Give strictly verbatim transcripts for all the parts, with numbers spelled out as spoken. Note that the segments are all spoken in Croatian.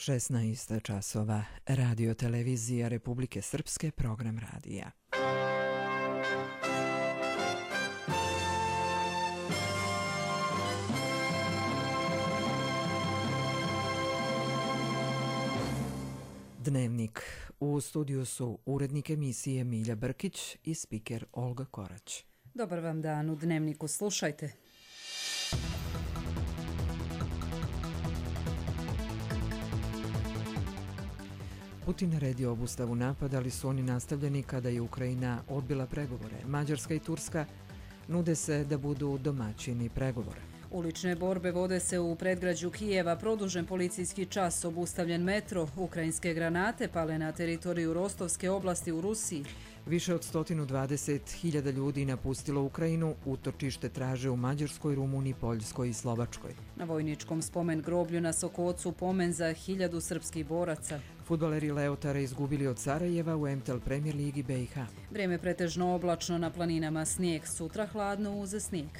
šesnaest časova. Radio televizija Republike Srpske, program radija. Dnevnik. U studiju su urednik emisije Milja Brkić i spiker Olga Korać. Dobar vam dan, u Dnevniku slušajte. Putin naredio obustavu napada, ali su oni nastavljeni kada je Ukrajina odbila pregovore. Mađarska i Turska nude se da budu domaćini pregovora. Ulične borbe vode se u predgrađu Kijeva, produžen policijski čas, obustavljen metro, ukrajinske granate pale na teritoriju Rostovske oblasti u Rusiji. Više od sto dvadeset hiljada ljudi napustilo Ukrajinu, utočište traže u Mađarskoj, Rumuniji, Poljskoj i Slovačkoj. Na vojničkom spomen groblju na Sokocu pomen za hiljadu srpskih boraca. Fudbaleri Leotara izgubili od Sarajeva u M T L Premier Ligi B i H. Vrijeme pretežno oblačno, na planinama snijeg, sutra hladno uz snijeg.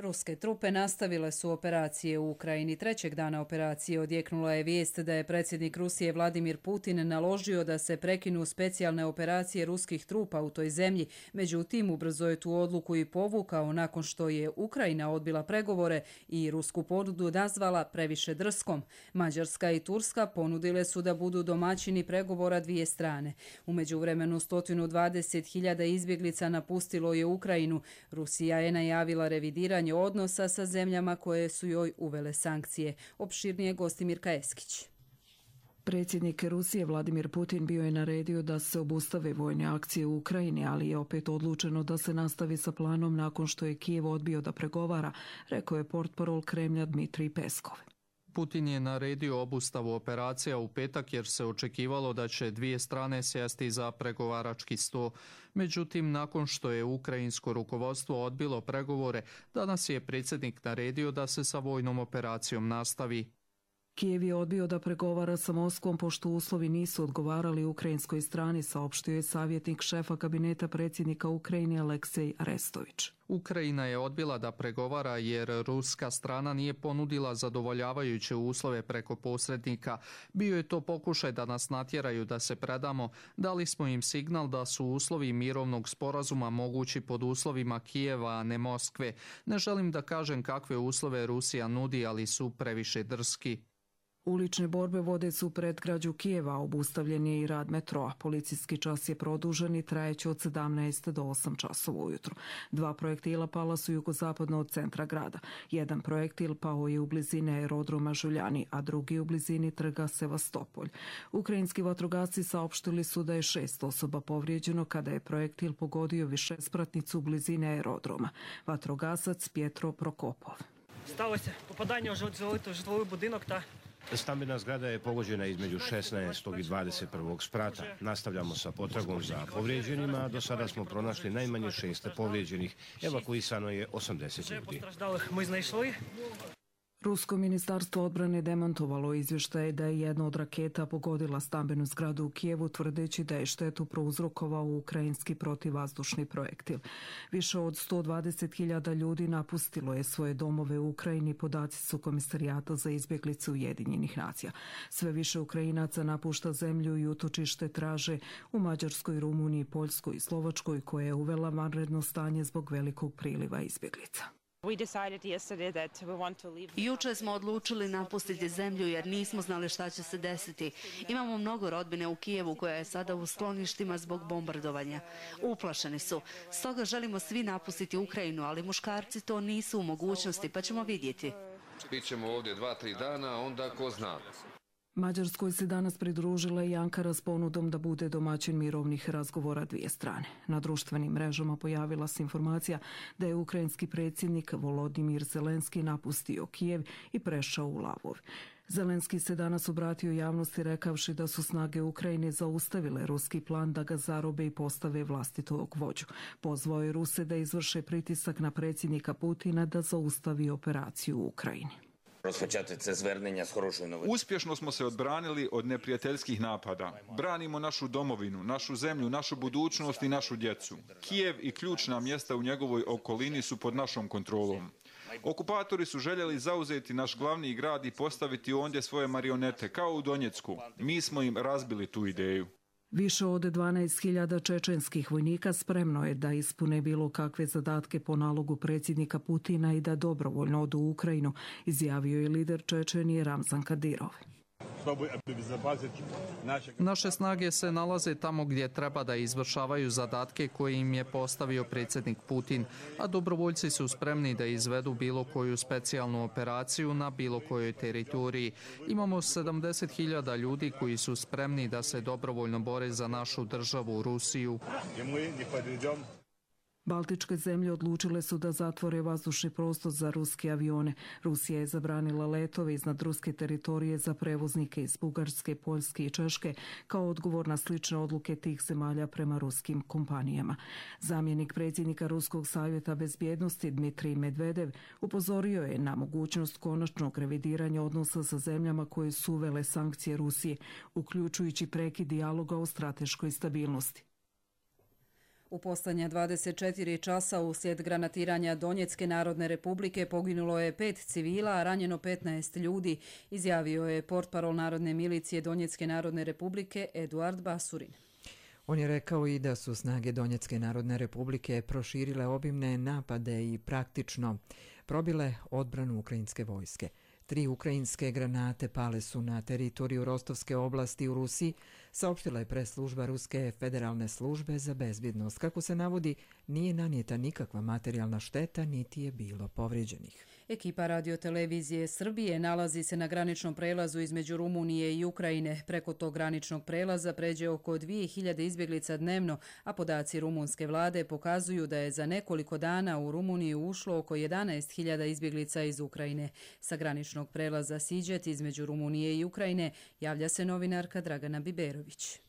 Ruske trupe nastavile su operacije u Ukrajini. Trećeg dana operacije odjeknula je vijest da je predsjednik Rusije Vladimir Putin naložio da se prekinu specijalne operacije ruskih trupa u toj zemlji. Međutim, ubrzo je tu odluku i povukao nakon što je Ukrajina odbila pregovore i rusku ponudu nazvala previše drskom. Mađarska i Turska ponudile su da budu domaćini pregovora dvije strane. U međuvremenu sto dvadeset hiljada izbjeglica napustilo je Ukrajinu. Rusija je najavila revidiranje odnosa sa zemljama koje su joj uvele sankcije. Opširnije Gostimirka Eskić. Predsjednik Rusije Vladimir Putin bio je naredio da se obustave vojne akcije u Ukrajini, ali je opet odlučeno da se nastavi sa planom nakon što je Kijev odbio da pregovara, rekao je portparol Kremlja Dmitrij Peskov. Putin je naredio obustavu operacija u petak jer se očekivalo da će dvije strane sjesti za pregovarački sto. Međutim, nakon što je ukrajinsko rukovodstvo odbilo pregovore, danas je predsjednik naredio da se sa vojnom operacijom nastavi. Kijev je odbio da pregovara sa Moskvom pošto uslovi nisu odgovarali ukrajinskoj strani, saopštio je savjetnik šefa kabineta predsjednika Ukrajine Aleksej Arestović. Ukrajina je odbila da pregovara jer ruska strana nije ponudila zadovoljavajuće uslove preko posrednika. Bio je to pokušaj da nas natjeraju da se predamo. Dali smo im signal da su uslovi mirovnog sporazuma mogući pod uslovima Kijeva, a ne Moskve. Ne želim da kažem kakve uslove Rusija nudi, ali su previše drski. Ulične borbe vode su u predgrađu Kijeva, obustavljen je i rad metroa. Policijski čas je produžen i trajeće od sedamnaest do osam časova ujutro. Dva projektila pala su jugozapadno od centra grada. Jedan projektil pao je u blizini aerodroma Žuljani, a drugi u blizini trga Sevastopolj. Ukrajinski vatrogasci saopštili su da je šest osoba povrijeđeno kada je projektil pogodio višespratnicu u blizini aerodroma. Vatrogasac Pjetro Prokopov. Сталося попадання у житловий будинок та Stambena zgrada je pogođena između šesnaestog i dvadeset prvog sprata. Nastavljamo sa potragom za povrijeđenima, a do sada smo pronašli najmanje šest povrijeđenih. Evakuisano je osamdeset ljudi. Rusko ministarstvo odbrane demantovalo izvještaje da je jedna od raketa pogodila stambenu zgradu u Kijevu, tvrdeći da je štetu prouzrokovao ukrajinski protivvazdušni projektil. Više od sto dvadeset hiljada ljudi napustilo je svoje domove u Ukrajini, podaci su Komisarijata za izbjeglice Ujedinjenih nacija. Sve više Ukrajinaca napušta zemlju i utočište traže u Mađarskoj, Rumuniji, Poljskoj i Slovačkoj, koja je uvela vanredno stanje zbog velikog priliva izbjeglica. Juče smo odlučili napustiti zemlju jer nismo znali šta će se desiti. Imamo mnogo rodbine u Kijevu koja je sada u skloništima zbog bombardovanja. Uplašeni su. Stoga želimo svi napustiti Ukrajinu, ali muškarci to nisu u mogućnosti, pa ćemo vidjeti. Bićemo ovdje dva, tri dana, onda ko zna. Mađarskoj se danas pridružila i Ankara s ponudom da bude domaćin mirovnih razgovora dvije strane. Na društvenim mrežama pojavila se informacija da je ukrajinski predsjednik Volodimir Zelenski napustio Kijev i prešao u Lavov. Zelenski se danas obratio javnosti rekavši da su snage Ukrajine zaustavile ruski plan da ga zarobe i postave vlastitog vođu. Pozvao je Ruse da izvrše pritisak na predsjednika Putina da zaustavi operaciju u Ukrajini. Uspješno smo se odbranili od neprijateljskih napada. Branimo našu domovinu, našu zemlju, našu budućnost i našu djecu. Kijev i ključna mjesta u njegovoj okolini su pod našom kontrolom. Okupatori su željeli zauzeti naš glavni grad i postaviti ondje svoje marionete, kao u Donjecku. Mi smo im razbili tu ideju. Više od dvanaest hiljada čečenskih vojnika spremno je da ispune bilo kakve zadatke po nalogu predsjednika Putina i da dobrovoljno odu u Ukrajinu, izjavio je lider Čečenije Ramzan Kadirov. Naše snage se nalaze tamo gdje treba da izvršavaju zadatke koje im je postavio predsjednik Putin, a dobrovoljci su spremni da izvedu bilo koju specijalnu operaciju na bilo kojoj teritoriji. Imamo sedamdeset hiljada ljudi koji su spremni da se dobrovoljno bore za našu državu, Rusiju. Baltičke zemlje odlučile su da zatvore vazdušni prostor za ruske avione. Rusija je zabranila letove iznad ruske teritorije za prevoznike iz Bugarske, Poljske i Češke kao odgovor na slične odluke tih zemalja prema ruskim kompanijama. Zamjenik predsjednika Ruskog savjeta bezbjednosti Dmitrij Medvedev upozorio je na mogućnost konačnog revidiranja odnosa sa zemljama koje su uvele sankcije Rusije, uključujući prekid dijaloga o strateškoj stabilnosti. U poslednja dvadeset četiri časa uslijed granatiranja Donjecke narodne republike poginulo je pet civila, a ranjeno petnaest ljudi, izjavio je portparol Narodne milicije Donjecke narodne republike Eduard Basurin. On je rekao i da su snage Donjecke narodne republike proširile obimne napade i praktično probile odbranu ukrajinske vojske. Tri ukrajinske granate pale su na teritoriju Rostovske oblasti u Rusiji, saopštila je press-služba Ruske federalne službe za bezbjednost. Kako se navodi, nije nanijeta nikakva materijalna šteta, niti je bilo povrijeđenih. Ekipa radiotelevizije Srbije nalazi se na graničnom prelazu između Rumunije i Ukrajine. Preko tog graničnog prelaza pređe oko dvije hiljade izbjeglica dnevno, a podaci rumunske vlade pokazuju da je za nekoliko dana u Rumuniju ušlo oko jedanaest hiljada izbjeglica iz Ukrajine. Sa graničnog prelaza Siđet između Rumunije i Ukrajine javlja se novinarka Dragana Biberović.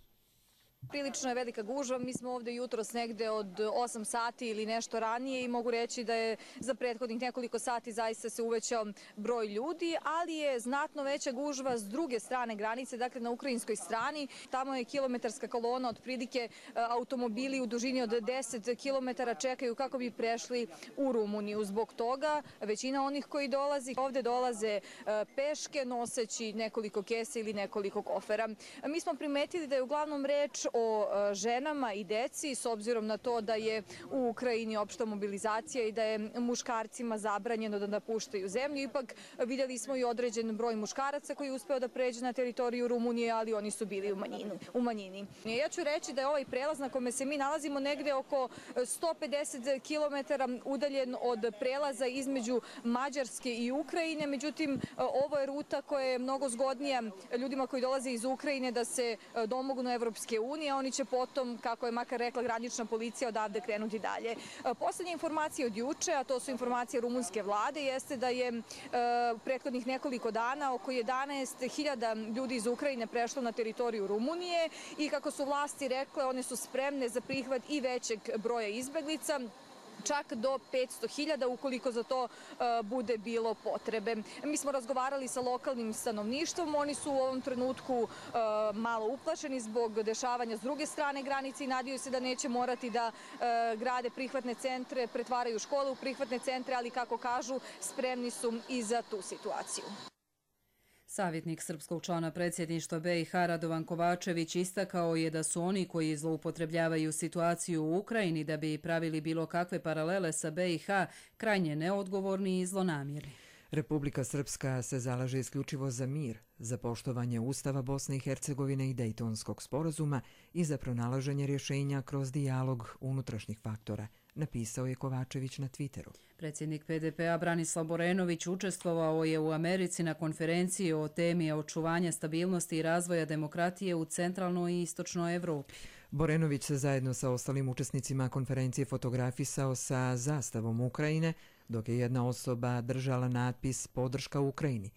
Prilično je velika gužva, mi smo ovdje jutros negde od osam sati ili nešto ranije i mogu reći da je za prethodnih nekoliko sati zaista se uvećao broj ljudi, ali je znatno veća gužva s druge strane granice, dakle na ukrajinskoj strani. Tamo je kilometarska kolona, otprilike automobili u dužini od deset kilometara čekaju kako bi prešli u Rumuniju. Zbog toga većina onih koji dolazi ovdje dolaze peške noseći nekoliko kese ili nekoliko kofera. Mi smo primetili da je uglavnom reč o ženama i deci, s obzirom na to da je u Ukrajini opšta mobilizacija i da je muškarcima zabranjeno da napuštaju zemlju. Ipak vidjeli smo i određen broj muškaraca koji je uspeo da pređe na teritoriju Rumunije, ali oni su bili u, manjinu, u manjini. Ja ću reći da je ovaj prelaz na kome se mi nalazimo negde oko sto pedeset kilometara udaljen od prelaza između Mađarske i Ukrajine. Međutim, ovo je ruta koja je mnogo zgodnija ljudima koji dolaze iz Ukrajine da se domognu Evropske unije. Oni će potom, kako je makar rekla granična policija, odavde krenuti dalje. Poslednja informacija od juče, a to su informacije rumunske vlade, jeste da je e, prethodnih nekoliko dana oko jedanaest hiljada ljudi iz Ukrajine prešlo na teritoriju Rumunije i kako su vlasti rekle, one su spremne za prihvat i većeg broja izbeglica, čak do petsto hiljada ukoliko za to uh, bude bilo potrebe. Mi smo razgovarali sa lokalnim stanovništvom, oni su u ovom trenutku uh, malo uplašeni zbog dešavanja s druge strane granice i nadaju se da neće morati da uh, grade prihvatne centre, pretvaraju škole u prihvatne centre, ali kako kažu, spremni su i za tu situaciju. Savjetnik srpskog člana predsjedništva be i ha Radovan Kovačević istakao je da su oni koji zloupotrebljavaju situaciju u Ukrajini da bi pravili bilo kakve paralele sa be i ha krajnje neodgovorni i zlonamjerni. Republika Srpska se zalaže isključivo za mir, za poštovanje Ustava Bosne i Hercegovine i Dejtonskog sporazuma i za pronalaženje rješenja kroz dijalog unutrašnjih faktora, napisao je Kovačević na Twitteru. Predsjednik pe de pe-a Branislav Borenović učestvovao je u Americi na konferenciji o temi očuvanja stabilnosti i razvoja demokratije u centralnoj i istočnoj Evropi. Borenović se zajedno sa ostalim učesnicima konferencije fotografisao sa zastavom Ukrajine, dok je jedna osoba držala natpis Podrška Ukrajini.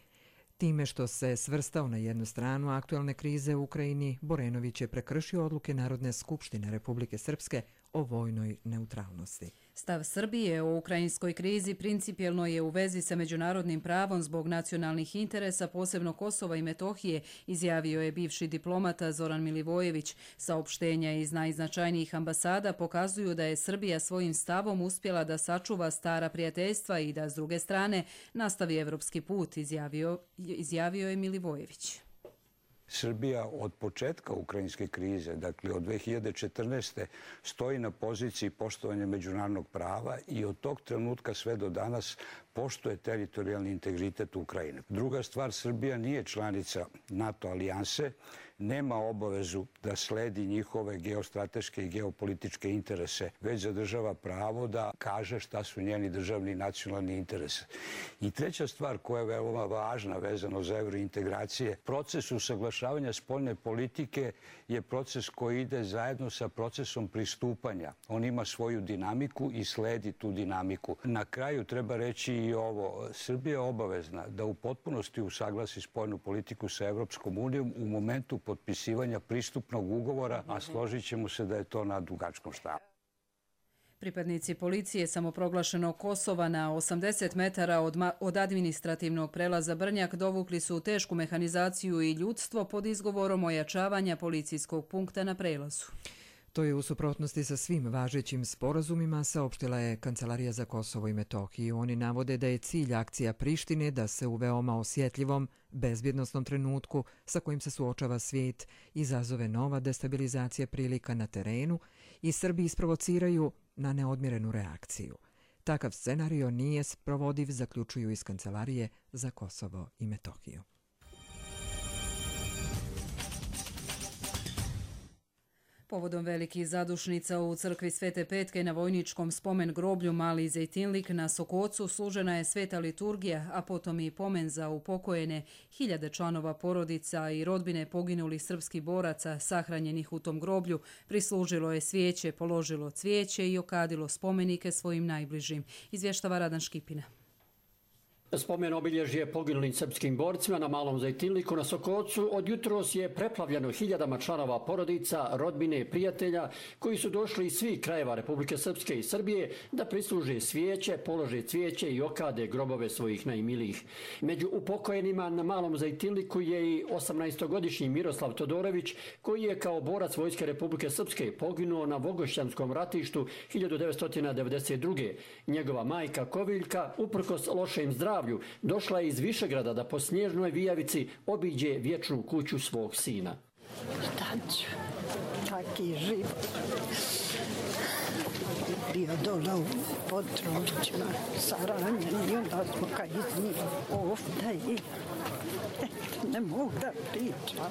Time što se svrstao na jednu stranu aktualne krize u Ukrajini, Borenović je prekršio odluke Narodne skupštine Republike Srpske o vojnoj neutralnosti. Stav Srbije o ukrajinskoj krizi principijelno je u vezi sa međunarodnim pravom zbog nacionalnih interesa, posebno Kosova i Metohije, izjavio je bivši diplomata Zoran Milivojević. Saopštenja iz najznačajnijih ambasada pokazuju da je Srbija svojim stavom uspjela da sačuva stara prijateljstva i da s druge strane nastavi evropski put, izjavio, izjavio je Milivojević. Srbija od početka ukrajinske krize, dakle od dve hiljade četrnaeste. stoji na poziciji poštovanja međunarodnog prava i od tog trenutka sve do danas poštuje teritorijalni integritet Ukrajine. Druga stvar, Srbija nije članica NATO alijanse, nema obavezu da sledi njihove geostrateške i geopolitičke interese, već zadržava pravo da kaže šta su njeni državni i nacionalni interesi. I treća stvar koja je veoma važna vezano za evrointegracije, proces usaglašavanja spoljne politike je proces koji ide zajedno sa procesom pristupanja. On ima svoju dinamiku i sledi tu dinamiku. Na kraju treba reći i ovo, Srbija je obavezna da u potpunosti usaglasi spoljnu politiku sa Evropskom unijom u momentu potpisivanja pristupnog ugovora, a složit ćemo se da je to na dugačkom štapu. Pripadnici policije samoproglašenog Kosova na osamdeset metara od, od administrativnog prelaza Brnjak dovukli su tešku mehanizaciju i ljudstvo pod izgovorom ojačavanja policijskog punkta na prelazu. To je u suprotnosti sa svim važećim sporazumima, saopštila je Kancelarija za Kosovo i Metohiju. Oni navode da je cilj akcija Prištine da se u veoma osjetljivom, bezbjednosnom trenutku sa kojim se suočava svijet izazove nova destabilizacija prilika na terenu i Srbi isprovociraju na neodmjerenu reakciju. Takav scenario nije sprovodiv, zaključuju iz Kancelarije za Kosovo i Metohiju. Povodom velikih zadušnica u crkvi Svete Petke na vojničkom spomen groblju Mali Zejtinlik na Sokocu služena je sveta liturgija, a potom i pomen za upokojene hiljade članova porodica i rodbine poginulih srpskih boraca sahranjenih u tom groblju. Prislužilo je svijeće, položilo cvijeće i okadilo spomenike svojim najbližim, izvještava Radan Škipina. Spomen obilježje poginulim srpskim borcima na Malom Zejtinliku na Sokocu od jutros je preplavljeno hiljadama članova porodica, rodbine i prijatelja koji su došli iz svih krajeva Republike Srpske i Srbije da prisluže svijeće, polože cvijeće i okade grobove svojih najmilijih. Među upokojenima na Malom Zejtinliku je i osamnaestogodišnji Miroslav Todorović koji je kao borac Vojske Republike Srpske poginuo na Vogošćanskom ratištu hiljadu devetsto devedeset druge. Njegova majka Koviljka, uprkos lošem zdravlju, došla je iz Višegrada da po snježnoj vijavici obiđe vječnu kuću svog sina. Šta ću? Taki život. Bio dole u Područjima, saranjen i onda smo kad iznijeli ovdje i ne mogu da pričam.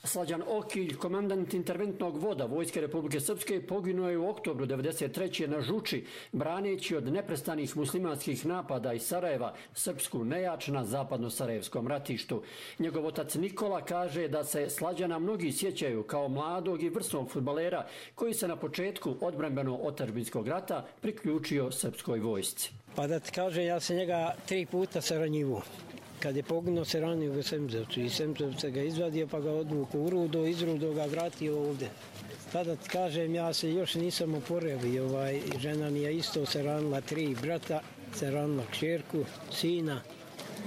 Slađan Okilj, komandant interventnog voda Vojske Republike Srpske, poginuo je u oktobru devedeset treće na Žuči, braneći od neprestanih muslimanskih napada iz Sarajeva srpsku nejač na zapadno-sarajevskom ratištu. Njegov otac Nikola kaže da se Slađana mnogi sjećaju kao mladog i vrsnog fudbalera koji se na početku odbrambeno-otadžbinskog rata priključio srpskoj vojsci. Pa da ti kaže, ja sam njega tri puta saranjivo. Kad je poginuo se ranio u Semzevcu i Semzevca ga izvadio pa ga odvuku u Rudo, iz Rudo ga vratio ovdje. Tada ti kažem, ja se još nisam oporavio, ovaj, žena mi je isto se ranila, tri brata, se ranila kćerku, sina,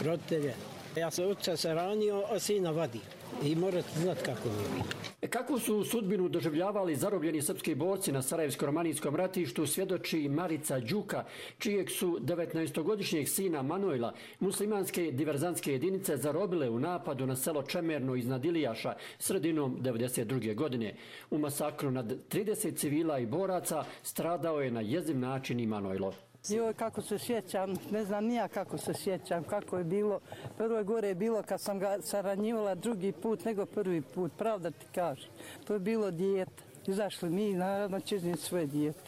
roditelje. Ja sam oca se ranio, a sina vadio. I morate znati kako je bilo. Kako su sudbinu doživljavali zarobljeni srpski borci na Sarajevsko-romanijskom ratištu svjedoči Marica Đuka, čijeg su devetnaestogodišnjeg sina Manojla muslimanske diverzantske jedinice zarobile u napadu na selo Čemerno iznad Ilijaša sredinom devedeset druge. godine. U masakru nad trideset civila i boraca stradao je na jeziv način i Manojlo. Joj, kako se sjećam, ne znam nija kako se sjećam, kako je bilo. Prvo gore je bilo kad sam ga saranjivala drugi put nego prvi put, pravda ti kažem. To je bilo dijete. Izašli mi, naravno, će iznijeti svoje dijete,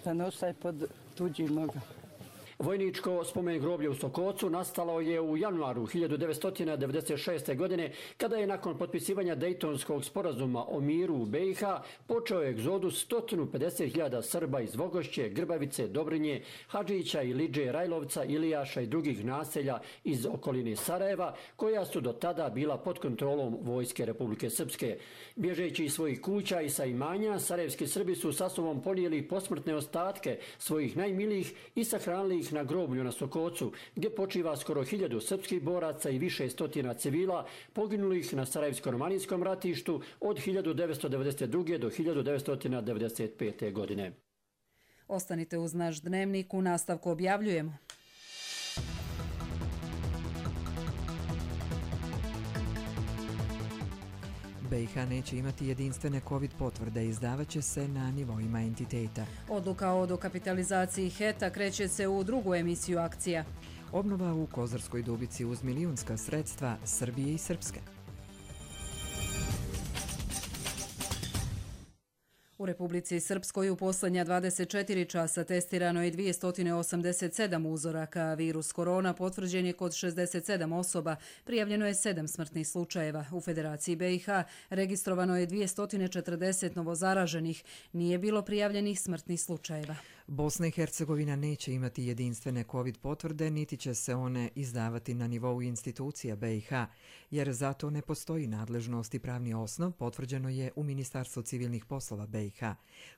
da ne ostaje pod tuđim nogama. Vojničko spomen groblje u Sokocu nastalo je u januaru hiljadu devetsto devedeset šeste. godine, kada je nakon potpisivanja Dejtonskog sporazuma o miru u B i H počeo egzodus sto pedeset hiljada Srba iz Vogošće, Grbavice, Dobrinje, Hadžića, Iliđe, Rajlovca, Ilijaša i drugih naselja iz okoline Sarajeva, koja su do tada bila pod kontrolom Vojske Republike Srpske. Bježeći iz svojih kuća i sa imanja, sarajevski Srbi su sa sobom ponijeli posmrtne ostatke svojih najmilijih i sahranili ih na groblju na Sokocu, gdje počiva skoro hiljadu srpskih boraca i više stotina civila poginulih na Sarajevsko-romanijskom ratištu od hiljadu devetsto devedeset druge. do hiljadu devetsto devedeset pete. godine. Ostanite uz naš dnevnik, u nastavku objavljujemo. B i H neće imati jedinstvene COVID potvrde, izdavaće se na nivoima entiteta. Odluka o dokapitalizaciji HET-a kreće se u drugu emisiju akcija. Obnova u Kozarskoj Dubici uz milijunska sredstva Srbije i Srpske. U Republici Srpskoj u posljednja dvadeset četiri časa testirano je dvjesto osamdeset sedam uzoraka. Virus korona potvrđen je kod šezdeset sedam osoba, prijavljeno je sedam smrtnih slučajeva. U Federaciji B i H registrovano je dvjesto četrdeset novozaraženih, nije bilo prijavljenih smrtnih slučajeva. Bosna i Hercegovina neće imati jedinstvene COVID potvrde, niti će se one izdavati na nivou institucija B i H, jer zato ne postoji nadležnost i pravni osnov, potvrđeno je u Ministarstvu civilnih poslova B i H.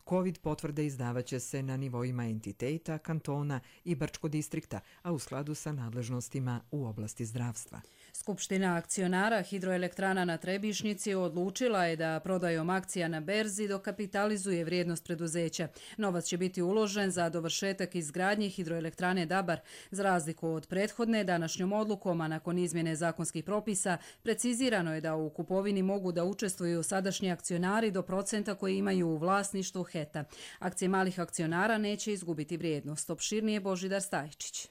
COVID potvrde izdavaće se na nivoima entiteta, kantona i Brčko distrikta, a u skladu sa nadležnostima u oblasti zdravstva. Skupština akcionara Hidroelektrana na Trebišnjici odlučila je da prodajom akcija na berzi dokapitalizuje vrijednost preduzeća. Novac će biti uložen za dovršetak izgradnje Hidroelektrane Dabar. Za razliku od prethodne, današnjom odlukom, a nakon izmjene zakonskih propisa, precizirano je da u kupovini mogu da učestvuju sadašnji akcionari do procenta koji imaju u vlasništvu HET-a. Akcije malih akcionara neće izgubiti vrijednost. Opširnije Božidar Stajčić.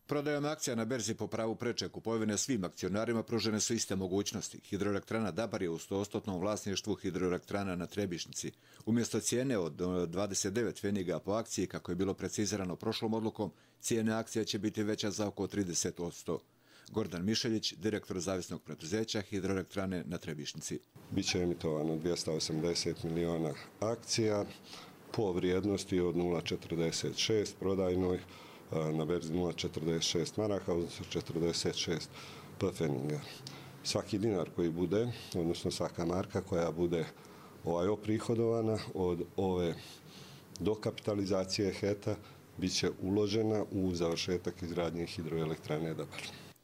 Prodajom akcija na berzi po pravu preče kupovine svim akcionarima pružene su iste mogućnosti. Hidroelektrana Dabar je u sto posto vlasništvu Hidroelektrana na Trebišnjici. Umjesto cijene od dvadeset devet pfeniga po akciji, kako je bilo precizirano prošlom odlukom, cijena akcija će biti veća za oko trideset posto. Gordan Mišeljić, direktor zavisnog preduzeća Hidroelektrane na Trebišnjici. Biće emitovano dvjesto osamdeset miliona akcija po vrijednosti od nula zarez četrdeset šest prodajnoj, na berzi nula zarez četrdeset šest maraka, odnosno četrdeset šest pfeniga. Svaki dinar koji bude, odnosno svaka marka koja bude ovaj oprihodovana od ove dokapitalizacije HET-a, bit će uložena u završetak izgradnje Hidroelektrane Dabar.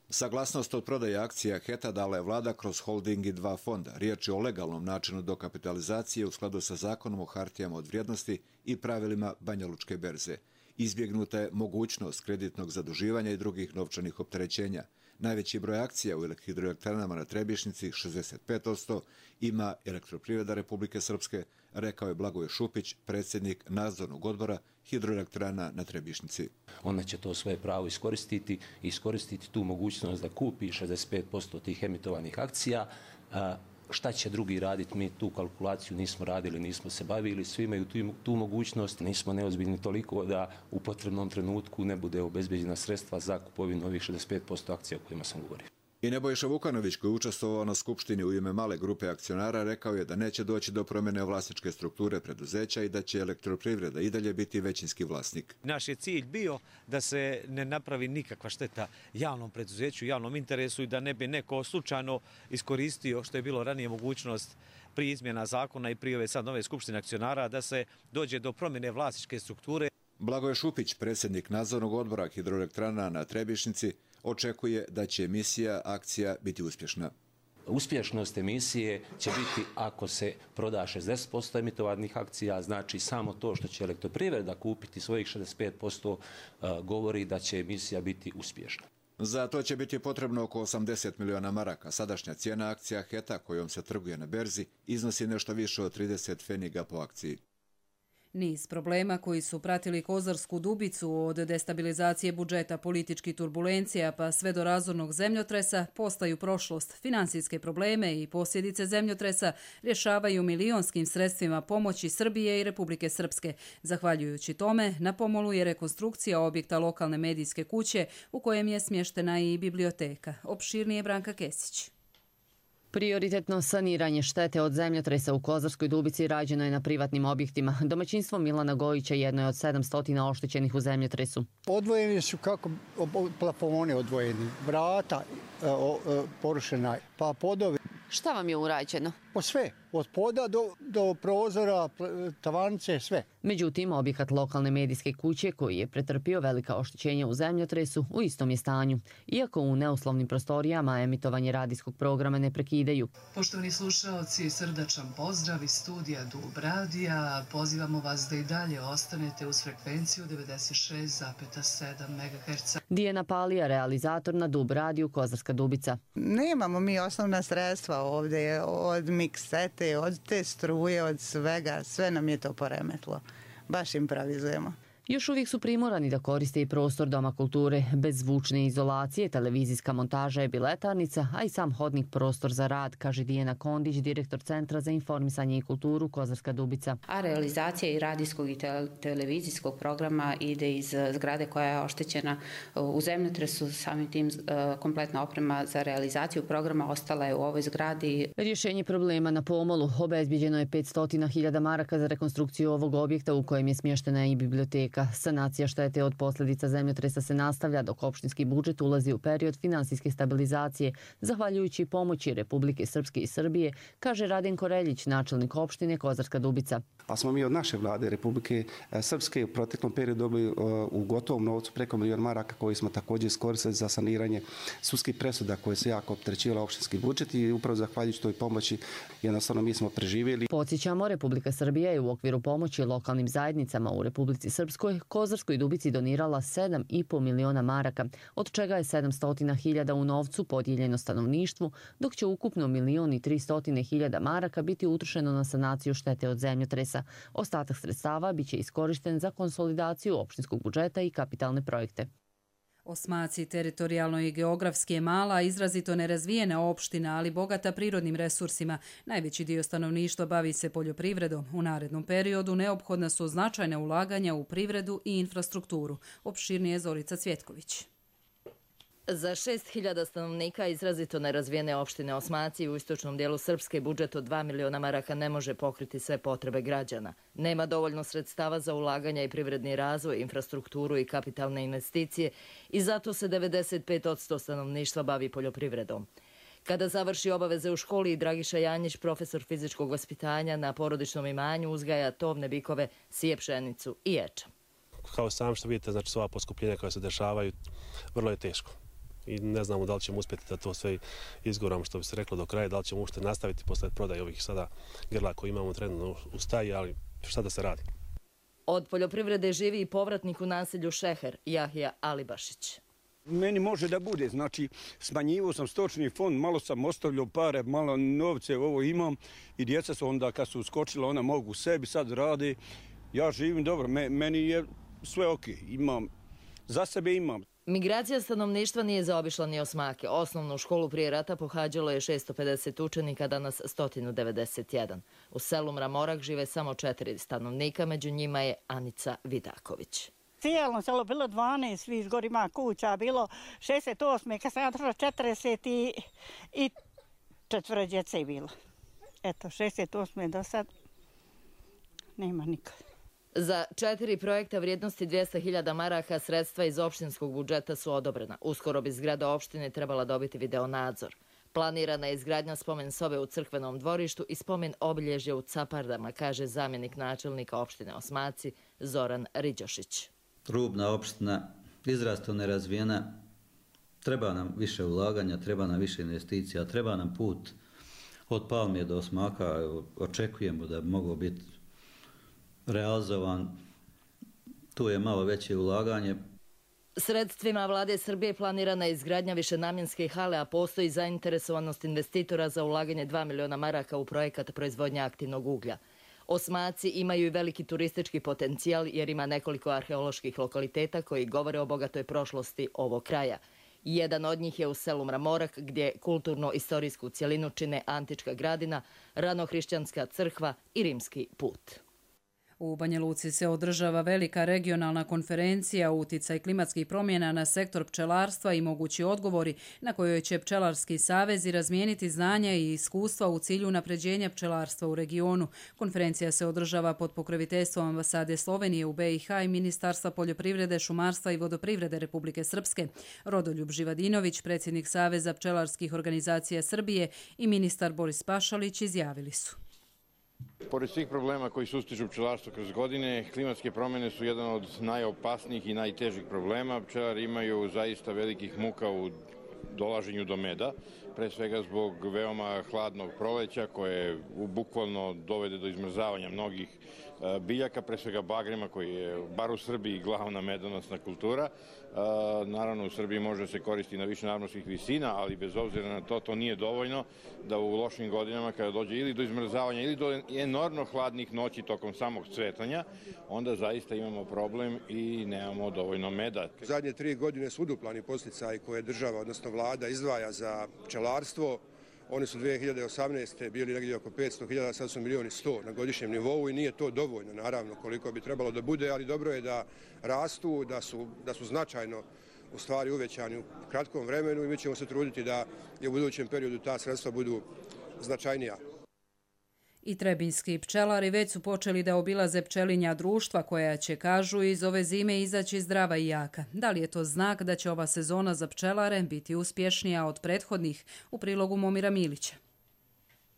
Saglasnost od prodaje akcija HET-a dala je vlada kroz holding i dva fonda. Riječ je o legalnom načinu dokapitalizacije u skladu sa zakonom o hartijama od vrijednosti i pravilima Banja Lučke berze. Izbjegnuta je mogućnost kreditnog zaduživanja i drugih novčanih opterećenja. Najveći broj akcija u hidroelektranama na Trebišnjici, šezdeset pet posto, ima Elektroprivreda Republike Srpske, rekao je Blagoje Šupić, predsjednik nadzornog odbora Hidroelektrana na Trebišnjici. Ona će to svoje pravo iskoristiti i iskoristiti tu mogućnost da kupi šezdeset pet posto tih emitovanih akcija. Šta će drugi raditi? Mi tu kalkulaciju nismo radili, nismo se bavili, svi imaju tu, tu mogućnost. Nismo neozbiljni toliko da u potrebnom trenutku ne bude obezbeđena sredstva za kupovinu ovih šezdeset pet posto akcija o kojima sam govorio. I Nebojša Vukanović, koji je učestvovao na skupštini u ime male grupe akcionara, rekao je da neće doći do promjene vlasničke strukture preduzeća i da će Elektroprivreda i dalje biti većinski vlasnik. Naš je cilj bio da se ne napravi nikakva šteta javnom preduzeću, javnom interesu i da ne bi neko slučajno iskoristio, što je bilo ranije mogućnost prije izmjena zakona i prije ove sad nove skupštine akcionara, da se dođe do promjene vlasničke strukture. Blagoje Šupić, predsjednik nadzornog odbora Hidroelektrana na Trebišnjici, očekuje da će emisija akcija biti uspješna. Uspješnost emisije će biti ako se proda šezdeset posto emitovanih akcija, znači samo to što će Elektroprivreda kupiti svojih šezdeset pet posto govori da će emisija biti uspješna. Za to će biti potrebno oko osamdeset miliona maraka. Sadašnja cijena akcija HET-a kojom se trguje na berzi iznosi nešto više od trideset pfeniga po akciji. Niz problema koji su pratili Kozarsku Dubicu od destabilizacije budžeta, političkih turbulencija pa sve do razornog zemljotresa postaju prošlost. Finansijske probleme i posljedice zemljotresa rješavaju milionskim sredstvima pomoći Srbije i Republike Srpske. Zahvaljujući tome, na pomolu je rekonstrukcija objekta lokalne medijske kuće u kojem je smještena i biblioteka. Opširnije Branka Kesić. Prioritetno saniranje štete od zemljotresa u Kozarskoj Dubici rađeno je na privatnim objektima. Domaćinstvo Milana Gojića jedno je od sedamsto oštećenih u zemljotresu. Odvojeni su kako plafoni odvojeni, vrata porušena, pa podovi. Šta vam je urađeno? Po sve, od poda do, do prozora, tavanice, sve. Međutim, objekat lokalne medijske kuće koji je pretrpio velika oštećenja u zemljotresu u istom je stanju, iako u neuslovnim prostorijama emitovanje radijskog programa ne prekidaju. Poštovani slušaoci, srdačan pozdrav iz studija Dub radija. Pozivamo vas da i dalje ostanete uz frekvenciju devedeset šest zarez sedam megaherca. Dijana Palija, realizator na Dub radiju Kozarska Dubica. Nemamo mi osnovna sredstva ovdje, od miksete, od te struje, od svega, sve nam je to poremetlo. Baš improvizujemo. Još uvijek su primorani da koriste i prostor Doma kulture. Bez zvučne izolacije, televizijska montaža je biletarnica, a i sam hodnik prostor za rad, kaže Dijana Kondić, direktor Centra za informisanje i kulturu Kozarska Dubica. A realizacija i radijskog i televizijskog programa ide iz zgrade koja je oštećena u zemljotresu. Samim tim kompletna oprema za realizaciju programa ostala je u ovoj zgradi. Rješenje problema na pomolu. Obezbiđeno je petsto hiljada maraka za rekonstrukciju ovog objekta u kojem je smještena i biblioteka. Sanacija štete od posljedica zemljotresa se nastavlja dok opštinski budžet ulazi u period finansijske stabilizacije, zahvaljujući pomoći Republike Srpske i Srbije, kaže Radenko Reljić, načelnik opštine Kozarska Dubica. Pa smo mi od naše vlade Republike Srpske u proteklom periodu dobili u gotovom novcu preko milion maraka koji smo također iskoristili za saniranje sudskih presuda koje su jako opterećivale opštinski budžet i upravo zahvaljujući toj pomoći jednostavno mi smo preživjeli. Podsjećamo, Republika Srbija je u okviru pomoći lokalnim zajednicama u Republici Srpskoj Kozarskoj Dubici donirala sedam i po miliona maraka, od čega je sedamsto hiljada u novcu podijeljeno stanovništvu, dok će ukupno milion i tristo hiljada maraka biti utrošeno na sanaciju štete od zemljotresa. Ostatak sredstava biće iskorišten za konsolidaciju opštinskog budžeta i kapitalne projekte. Osmaci teritorijalno i geografski je mala, izrazito nerazvijena opština, ali bogata prirodnim resursima. Najveći dio stanovništva bavi se poljoprivredom. U narednom periodu neophodna su značajna ulaganja u privredu i infrastrukturu. Opširnije Zorica Cvjetković. Za šest hiljada stanovnika izrazito nerazvijene opštine Osmaci u istočnom dijelu Srpske budžet od dva miliona maraka ne može pokriti sve potrebe građana. Nema dovoljno sredstava za ulaganja i privredni razvoj, infrastrukturu i kapitalne investicije i zato se devedeset pet posto stanovništva bavi poljoprivredom. Kada završi obaveze u školi, Dragiša Janjić, profesor fizičkog vaspitanja na porodičnom imanju, uzgaja tovne bikove, sije pšenicu i ječam. Kao sam što vidite, znači sva poskupljenja koja se dešavaju, vrlo je teško. I ne znamo da li ćemo uspjeti da to sve izguramo, što bi se reklo, do kraja, da li ćemo uopšte nastaviti posle prodaje ovih sada grla koje imamo trenutno u staji, ali šta da se radi? Od poljoprivrede živi i povratnik u naselju Šeher, Jahija Alibašić. Meni može da bude, znači smanjivao sam stočni fond, malo sam ostavljao pare, malo novce ovo imam i djeca su onda kad su skočila, ona mogu sebi sad rade. Ja živim dobro, meni je sve ok, imam, za sebe imam. Migracija stanovništva nije zaobišla ni Osmake. Osnovnu školu prije rata pohađalo je šesto pedeset učenika, danas sto devedeset jedan. U selu Mramorak žive samo četiri stanovnika, među njima je Anica Vidaković. Cijelom selo bilo dvanaest, viš gor ima kuća, bilo šezdeset osme, kad sam ja došla četrdeset i četvoro djece je bilo. Eto, šezdeset osme do sad nema nikad. Za četiri projekta vrijednosti dvjesto hiljada maraka sredstva iz opštinskog budžeta su odobrena. Uskoro bi zgrada opštine trebala dobiti videonadzor. Planirana je izgradnja spomen sobe u crkvenom dvorištu i spomen obilježja u Capardama, kaže zamjenik načelnika opštine Osmaci Zoran Riđošić. Rubna opština, izrazito nerazvijena, treba nam više ulaganja, treba nam više investicija, treba nam put od Palmije do Osmaka, očekujemo da bi mogao biti realizovan, tu je malo veće ulaganje. Sredstvima vlade Srbije planirana je izgradnja višenamjenske hale, a postoji zainteresovanost investitora za ulaganje dva miliona maraka u projekat proizvodnja aktivnog uglja. Osmaci imaju i veliki turistički potencijal jer ima nekoliko arheoloških lokaliteta koji govore o bogatoj prošlosti ovog kraja. Jedan od njih je u selu Mramorak, gdje kulturno-istorijsku cjelinu čine antička gradina, ranohrišćanska crkva i rimski put. U Banja Luci se održava velika regionalna konferencija uticaj klimatskih promjena na sektor pčelarstva i mogući odgovori na kojoj će pčelarski savezi razmijeniti znanja i iskustva u cilju unapređenja pčelarstva u regionu. Konferencija se održava pod pokroviteljstvom ambasade Slovenije u B i H i Ministarstva poljoprivrede, šumarstva i vodoprivrede Republike Srpske. Rodoljub Živadinović, predsjednik Saveza pčelarskih organizacija Srbije, i ministar Boris Pašalić izjavili su: Pored svih problema koji sustižu pčelarstvo kroz godine, klimatske promjene su jedan od najopasnijih i najtežih problema. Pčelari imaju zaista velikih muka u dolaženju do meda, pre svega zbog veoma hladnog proleća koje bukvalno dovede do izmrzavanja mnogih biljaka, pre svega bagrema koji je, bar u Srbiji, glavna medonosna kultura. Naravno, u Srbiji može se koristiti na više nadmorskih visina, ali bez obzira na to, to nije dovoljno da u lošim godinama, kada dođe ili do izmrzavanja ili do enormno hladnih noći tokom samog cvetanja, onda zaista imamo problem i nemamo dovoljno meda. Zadnje tri godine su uduplani podsticaji koje država, odnosno vlada, izdvaja za pčelarstvo. Oni su dvije hiljade osamnaeste. bili negdje oko petsto hiljada, sad su milijuni sto na godišnjem nivou i nije to dovoljno, naravno, koliko bi trebalo da bude, ali dobro je da rastu, da su, da su značajno u stvari uvećani u kratkom vremenu i mi ćemo se truditi da i u budućem periodu ta sredstva budu značajnija. I trebinjski pčelari već su počeli da obilaze pčelinja društva koja će, kažu, iz ove zime izaći zdrava i jaka. Da li je to znak da će ova sezona za pčelare biti uspješnija od prethodnih? U prilogu Momira Milića.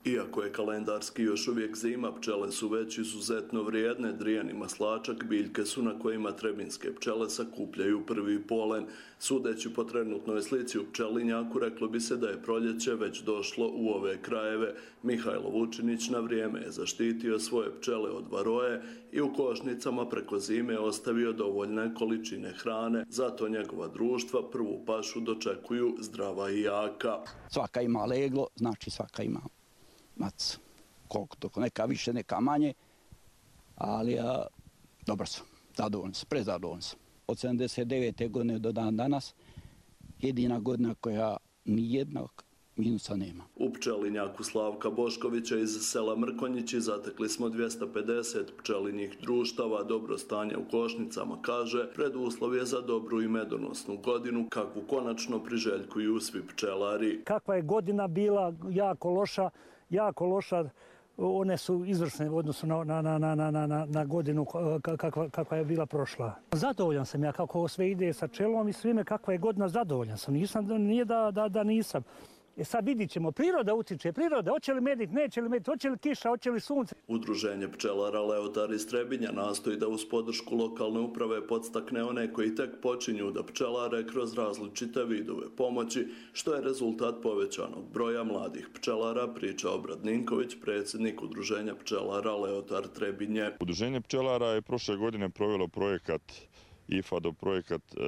Iako je kalendarski još uvijek zima, pčele su već izuzetno vrijedne. Drijani maslačak biljke su na kojima trebinjske pčele sakupljaju prvi polen. Sudeći po trenutnoj slici u pčelinjaku, reklo bi se da je proljeće već došlo u ove krajeve. Mihajlo Vučinić na vrijeme je zaštitio svoje pčele od varoje i u košnicama preko zime ostavio dovoljne količine hrane. Zato njegova društva prvu pašu dočekuju zdrava i jaka. Svaka ima leglo, znači svaka ima mac, koliko to, neka više, neka manje, ali ja, dobro sam, zadovoljan sam, prezadovoljan sam. Od sedamdeset devete. godine do dan danas, jedina godina koja nijednog minusa nema. U pčelinjaku Slavka Boškovića iz sela Mrkonjići zatekli smo dvjesto pedeset pčelinjih društava. Dobro stanje u košnicama, kaže, preduslov je za dobru i medonosnu godinu, kakvu konačno priželjkuju svi pčelari. Kakva je godina bila jako loša, jako loša, one su izvrsne u odnosu na, na, na, na, na, na godinu kakva, kakva je bila prošla. Zadovoljan sam ja kako sve ide sa pčelom i svime, kakva je godina, zadovoljan sam. Nisam, nije da, da, da nisam. E sad vidit ćemo, priroda utiče, priroda, hoće li medit, neće li medit, hoće li kiša, hoće li sunce. Udruženje pčelara Leotar iz Trebinja nastoji da uz podršku lokalne uprave podstakne one koji tek počinju da pčelare kroz različite vidove pomoći, što je rezultat povećanog broja mladih pčelara, priča Obrad Ninković, predsjednik Udruženja pčelara Leotar Trebinje. Udruženje pčelara je prošle godine provelo projekat I F A D O projekat e,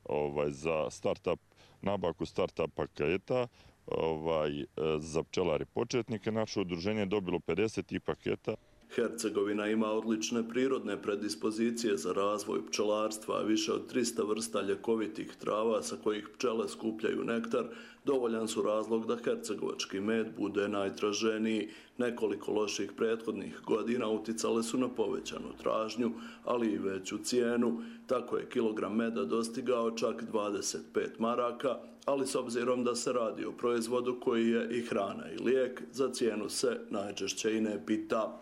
ovaj, za start-up, nabavku start-up paketa, ovaj, za pčelare početnike. Naše udruženje je dobilo pedeset i paketa. Hercegovina ima odlične prirodne predispozicije za razvoj pčelarstva, a više od trista vrsta ljekovitih trava sa kojih pčele skupljaju nektar, dovoljan su razlog da hercegovački med bude najtraženiji. Nekoliko loših prethodnih godina uticale su na povećanu tražnju, ali i veću cijenu. Tako je kilogram meda dostigao čak dvadeset pet maraka, ali s obzirom da se radi o proizvodu koji je i hrana i lijek, za cijenu se najčešće i ne pita.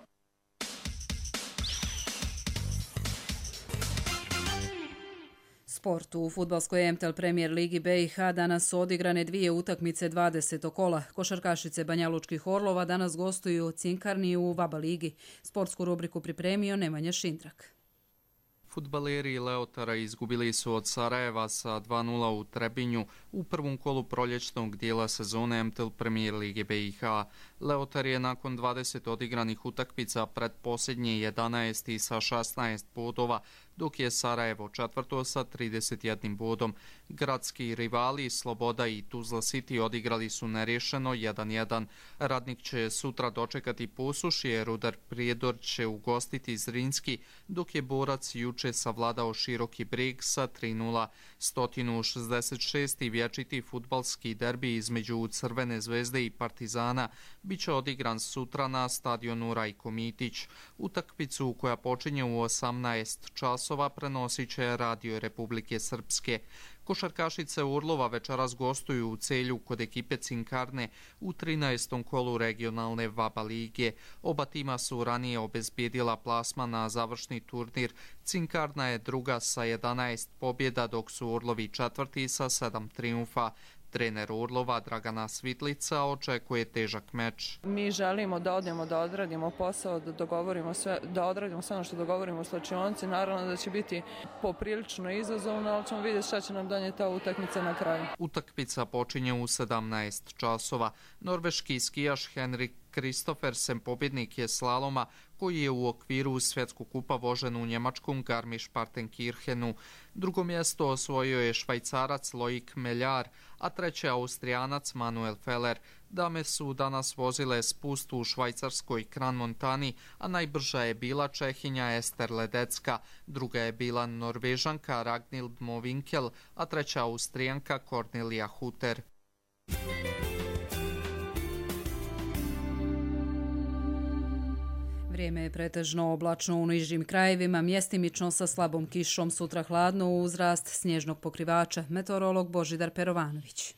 Sport. U fudbalskoj M T L Premier Ligi B i H danas su odigrane dvije utakmice dvadesetog kola. Košarkašice Banjalučkih Orlova danas gostuju u Cinkarni u Vaba ligi. Sportsku rubriku pripremio Nemanja Šindrak. Fudbaleri Leotara izgubili su od Sarajeva sa dva nula u Trebinju. u prvom kolu proljećnog dijela sezone M T L Premier Lige B i H. Leotar je nakon dvadeset odigranih utakmica pred posljednje jedanaesti sa šesnaest bodova, dok je Sarajevo četvrto sa trideset jednim bodom. Gradski rivali Sloboda i Tuzla City odigrali su nerješeno jedan jedan. Radnik će sutra dočekati Posušje, Rudar Prijedor će ugostiti Zrinski, dok je Borac juče savladao Široki Brijeg sa tri nula. sto šezdeset šesti vječiti fudbalski derbi između Crvene zvezde i Partizana biće odigran sutra na stadionu Rajko Mitić. Utakmicu koja počinje u osamnaest časova prenosit će Radio Republike Srpske. Košarkašice Urlova večeras gostuju u Celju kod ekipe Cinkarne u trinaestom kolu regionalne VABA lige. Oba tima su ranije obezbijedila plasman na završni turnir. Cinkarna je druga sa jedanaest pobjeda, dok su Urlovi četvrti sa sedam triumfa. Trener Urlova Dragana Svitlica očekuje težak meč. Mi želimo da odemo, da odradimo posao, da dogovorimo sve, da odradimo sve ono što dogovorimo u slačionici. Naravno da će biti poprilično izazovno, ali ćemo vidjeti šta će nam donijeti ta utakmica na kraju. Utakmica počinje u sedamnaest časova. Norveški skijaš Henrik Kristoffersen pobjednik je slaloma koji je u okviru svjetskog kupa vožen u njemačkom Garmisch-Partenkirchenu. Drugo mjesto osvojio je Švajcarac Loic Meljar, a treći Austrijanac Manuel Feller. Dame su danas vozile spust u švajcarskoj Kran Montani, a najbrža je bila Čehinja Ester Ledecka, druga je bila Norvežanka Ragnhild Movinkel, a treća Austrijanka Cornelia Hutter. Vrijeme je pretežno oblačno u nižim krajevima, mjestimično sa slabom kišom, sutra hladno uz rast snježnog pokrivača. Meteorolog Božidar Perovanović.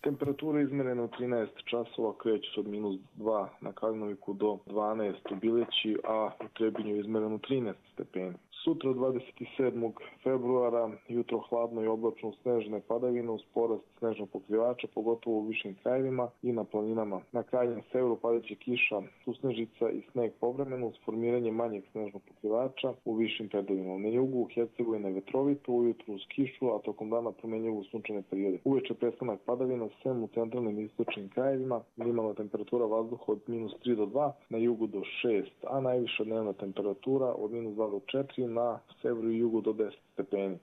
Temperature izmjerene u trinaest časova kreću se od minus dva na Kalinoviku do dvanaest u Bileći, a u Trebinju je izmjereno trinaest stepeni. Sutra dvadeset sedmog februara jutro hladno i oblačno uz snežne padavine uz porast snežnog pokrivača, pogotovo u višim krajevima i na planinama. Na krajnjem severu padaće kiša, susnežica i sneg povremeno uz formiranje manjeg snežnog pokrivača u višim predovima. Na jugu Hercegovine vetrovito, ujutru uz kišu, a tokom dana promjenjivo sunčane periode. Uveče prestanak padavina sem u centralnim i istočnim krajevima, minimalna temperatura vazduha od minus tri do dva, na jugu do šest, a najviša dnevna temperatura od minus dva do četiri, na severu i jugu do deset stepeni.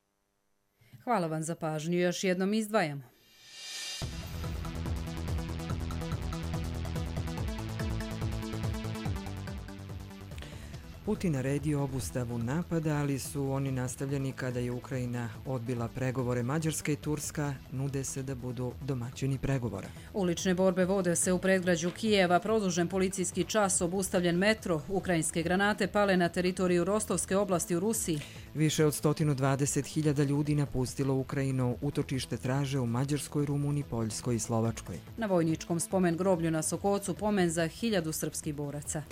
Hvala vam za pažnju. Još jednom izdvajamo. Putin naredio obustavu napada, ali su oni nastavljeni kada je Ukrajina odbila pregovore. Mađarska i Turska nude se da budu domaćini pregovora. Ulične borbe vode se u predgrađu Kijeva, produžen policijski čas, obustavljen metro, ukrajinske granate pale na teritoriju Rostovske oblasti u Rusiji. Više od sto dvadeset hiljada ljudi napustilo Ukrajinu, utočište traže u Mađarskoj, Rumuniji, Poljskoj i Slovačkoj. Na vojničkom spomen groblju na Sokocu pomen za hiljadu srpskih boraca.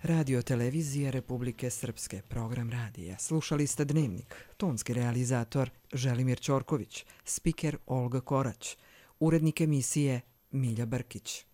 Radio televizija Republike Srpske, program radija. Slušali ste Dnevnik, tonski realizator Želimir Ćorković, spiker Olga Korać, urednik emisije Milja Brkić.